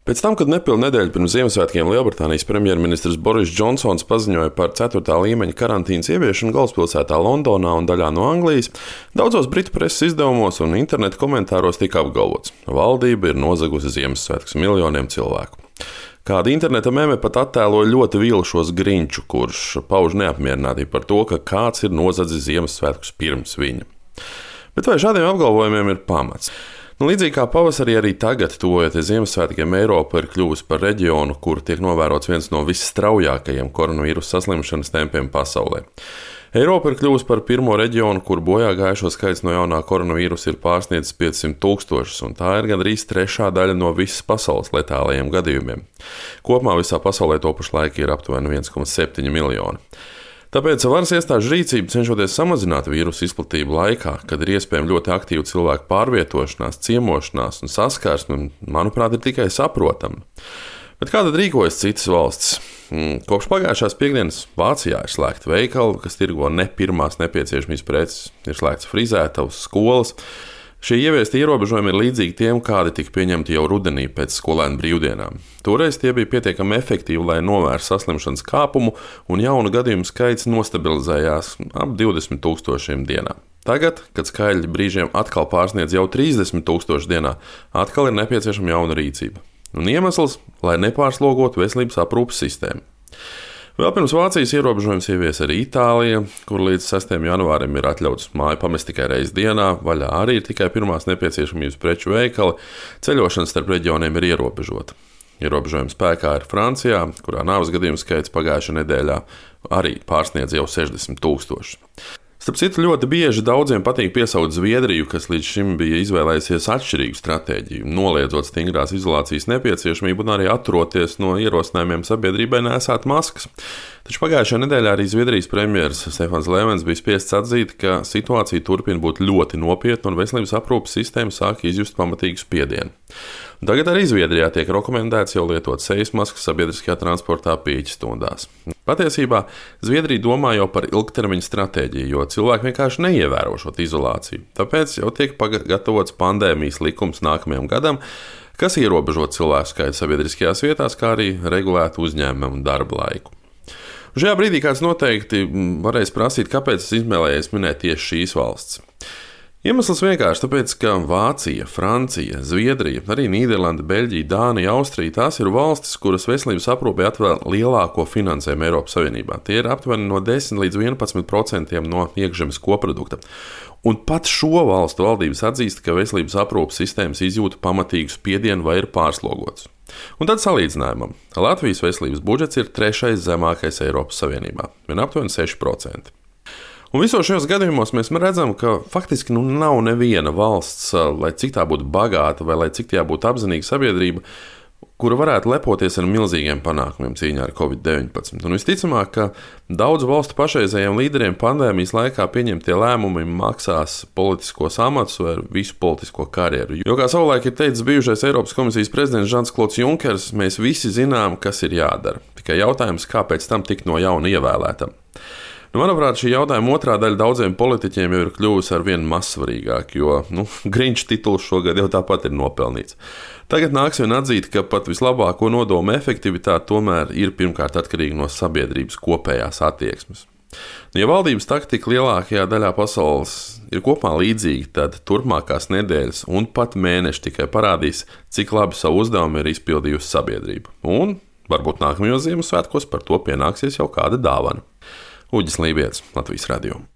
Pēc tam, kad nepilnu nedēļu pirms Ziemassvētkiem Lielbritānijas premjerministrs Boris Džonsons paziņoja par 4. līmeņa karantīnas ieviešanu galvaspilsētā Londonā un daļā no Anglijas, daudzos britu preses izdevumos un interneta komentāros tika apgalvots, ka valdība ir nozagusi Ziemassvētkus miljoniem cilvēku. Kāda interneta meme pat attēloja ļoti vīlušos Grinču, kurš pauž neapmierinātību par to, ka kāds ir nozadzis Ziemassvētkus pirms viņa. Bet vai šādiem apgalvojumiem ir pamats? Līdzīgi kā pavasarī, arī tagad, tuvojoties Ziemassvētkiem, Eiropa ir kļuvusi par reģionu, kur tiek novērots viens no visstraujākajiem koronavīrusa saslimšanas tempiem pasaulē. Eiropa ir kļuvusi par pirmo reģionu, kur bojā gājušo skaits no jaunā koronavīrusa ir pārsniedzis 500 000, un tā ir gandrīz trešā daļa no visas pasaules letālajiem gadījumiem. Kopumā visā pasaulē to pašlaik ir aptuveni 1,7 miljoni. Tāpēc varas iestāžu rīcība, cenšoties samazināt vīrusu izplatību laikā, kad ir iespējama ļoti aktīva cilvēku pārvietošanās, ciemošanās un saskarsme, manuprāt, ir tikai saprotama. Bet kā tad rīkojas citas valstis? Kopš pagājušās piekdienas Vācijā ir slēgti veikali, kas tirgo ne pirmās nepieciešamības preces, ir slēgts frizētavas, skolas. Šie ieviesti ierobežojumi ir līdzīgi tiem, kādi tika pieņemti jau rudenī pēc skolēnu brīvdienām. Toreiz tie bija pietiekami efektīvi, lai novērstu saslimšanas kāpumu, un jaunu gadījumu skaits nostabilizējās ap 20 000 dienā. Tagad, kad skaitļi brīžiem atkal pārsniedz jau 30 000 dienā, atkal ir nepieciešama jauna rīcība. Un iemesls, lai nepārslogotu veselības aprūpes sistēmu. Vēl pirms Vācijas ierobežojums ievies arī Itālija, kur līdz 6. janvārim ir atļauts māju pamest tikai reizi dienā, vaļā arī ir tikai pirmās nepieciešamības preču veikali, ceļošana starp reģioniem ir ierobežota. Ierobežojuma spēkā ir Francijā, kurā nāves gadījumu skaits pagājušajā nedēļā arī pārsniedz jau 60 000. Starp citu, ļoti bieži daudziem patīk piesaukt Zviedriju, kas līdz šim bija izvēlējusies atšķirīgu stratēģiju, noliedzot stingrās izolācijas nepieciešamību un arī atturoties no ierosinājumiem sabiedrībai nēsāt maskas. Taču pagājušajā nedēļā arī Zviedrijas premjeras Stefans Löfvens bija spiests atzīt, ka situācija turpina būt ļoti nopietna un veselības aprūpes sistēma sāk izjust pamatīgu spiedienu. Tagad arī Zviedrijā tiek rekomendēts jau lietot sejas maskas sabiedriskajā transportā pieejas stundās. Patiesībā Zviedrija domā jau par ilgtermiņa stratēģiju, jo cilvēki vienkārši neievēro šo izolāciju. Tāpēc jau tiek gatavots pandēmijas likums nākamajam gadam, kas ierobežo cilvēku skaitu sabiedriskajās vietās, kā arī regulētu uzņēmumu un darba laiku. Šajā brīdī kāds noteikti varēs prasīt, kāpēc es izvēlējos minēt tieši šīs valsts. Iemesls vienkārši tāpēc, ka Vācija, Francija, Zviedrija, arī Nīderlanda, Beļģija, Dānija, Austrija – tās ir valstis, kuras veselības aprūpei atvēl lielāko finansējumu Eiropas Savienībā. Tie ir aptuveni no 10 līdz 11% no iekšzemes koprodukta. Un pat šo valstu valdības atzīst, ka veselības aprūpes sistēmas izjūta pamatīgu spiedienu vai ir pārslogots. Un tad salīdzinājumam. Latvijas veselības budžets ir 3. zemākais Eiropas Savienībā, vien aptuveni 6%. Un visos šajos gadījumos mēs redzam, ka faktiski nav neviena valsts, lai cik tā būtu bagāta vai lai cik tā būtu apzinīga sabiedrība, kura varētu lepoties ar milzīgiem panākumiem cīņā ar Covid-19. Un visticamāk, ka daudzu valstu pašreizējiem līderiem pandēmijas laikā pieņemtie lēmumi maksās politiskos amatus vai visu politisko karjeru. Jo, kā savulaik ir teicis bijušais Eiropas komisijas prezidents Žans-Klods Junkers, mēs visi zinām, kas ir jādara. Tikai jautājums, kāpēc tam tikt no jauna ievēlētam. Manuprāt, šī jautājuma otrā daļa daudziem politiķiem jau ir kļuvusi ar vien mazsvarīgāk, jo Grinča tituls šogad jau tāpat ir nopelnīts. Tagad nāks vien atzīt, ka pat vislabāko nodomu efektivitāte tomēr ir pirmkārt atkarīga no sabiedrības kopējās attieksmes. Ja valdības taktika lielākajā daļā pasaules ir kopumā līdzīga, tad turpmākās nedēļas un pat mēneši tikai parādīs, cik labi savu uzdevumu ir izpildījusi sabiedrība. Un varbūt nākamajos Ziemassvētkos par to pienāksies jau kāda dāvana. Uģis Lībijams, Latvijas Radio.